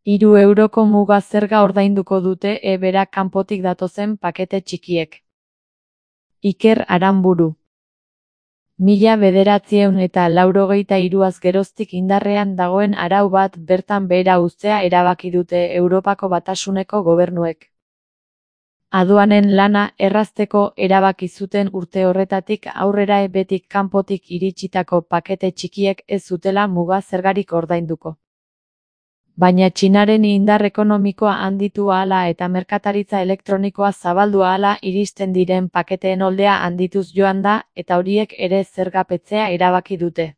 €3 muga zerga ordainduko dute berak kanpotik datozen pakete txikiek. Iker Aranburu. 1983az geroztik indarrean dagoen arau bat bertan behera uztea erabaki dute Europako Batasuneko gobernuek. Aduanen lana errazteko erabaki zuten urte horretatik aurrera betik kanpotik iritsitako pakete txikiek ez zutela muga zergarik ordainduko. Baina Txinaren indar ekonomikoa handitu ahala eta merkataritza elektronikoa zabaldu ahala iristen diren paketeen oldea handituz joan da eta horiek ere zergapetzea erabaki dute.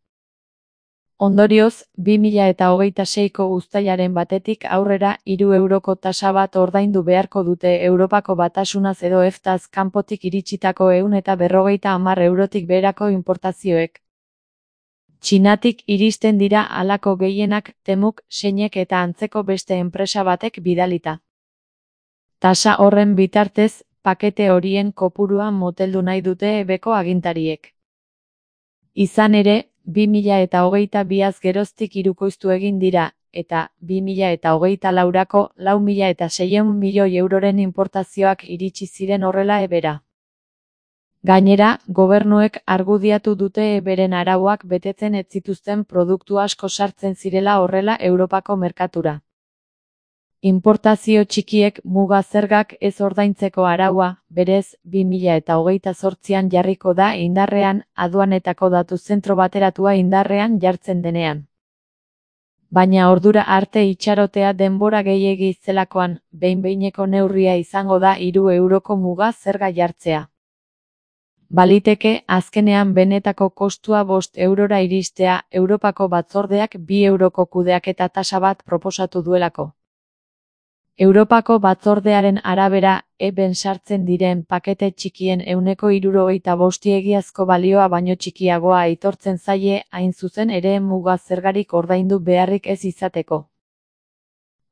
Ondorioz, 2026ko uztailaren batetik aurrera €3 tasa bat ordaindu beharko dute Europako Batasunaz edo EFTAz kanpotik iritsitako €150tik beherako inportazioek. Txinatik iristen dira halako gehienak Temuk, Seinek eta antzeko beste enpresa batek bidalita. Tasa horren bitartez, pakete horien kopurua moteldu nahi dute beko agintariek. Izan ere, 2022az geroztik hirukoiztu egin dira, eta 2024ko €4.600 milioiren inportazioak iritsi ziren horrela ebera. Gainera, gobernuek argudiatu dute beren arauak betetzen ez zituzten produktu asko sartzen zirela horrela Europako merkatura. Inportazio txikiek muga zergak ez ordaintzeko araua, berez, 2028an jarriko da indarrean, aduanetako datu zentro bateratua indarrean jartzen denean. Baina ordura arte itxarotea denbora gehiegi zelakoan, behin-behineko neurria izango da €3 muga zerga jartzea. Baliteke, azkenean benetako kostua €5 iristea, Europako batzordeak €2 kudeaketa tasa bat proposatu duelako. Europako batzordearen arabera, ben sartzen diren pakete txikien €75 egiazko balioa baino txikiagoa aitortzen zaie, hain zuzen ere muga zergarik ordaindu beharrik ez izateko.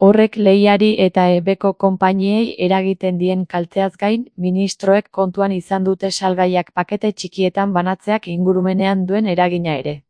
Horrek lehiari eta beko konpainiei eragiten dien kalteaz gain, ministroek kontuan izan dute salgaiak pakete txikietan banatzeak ingurumenean duen eragina ere.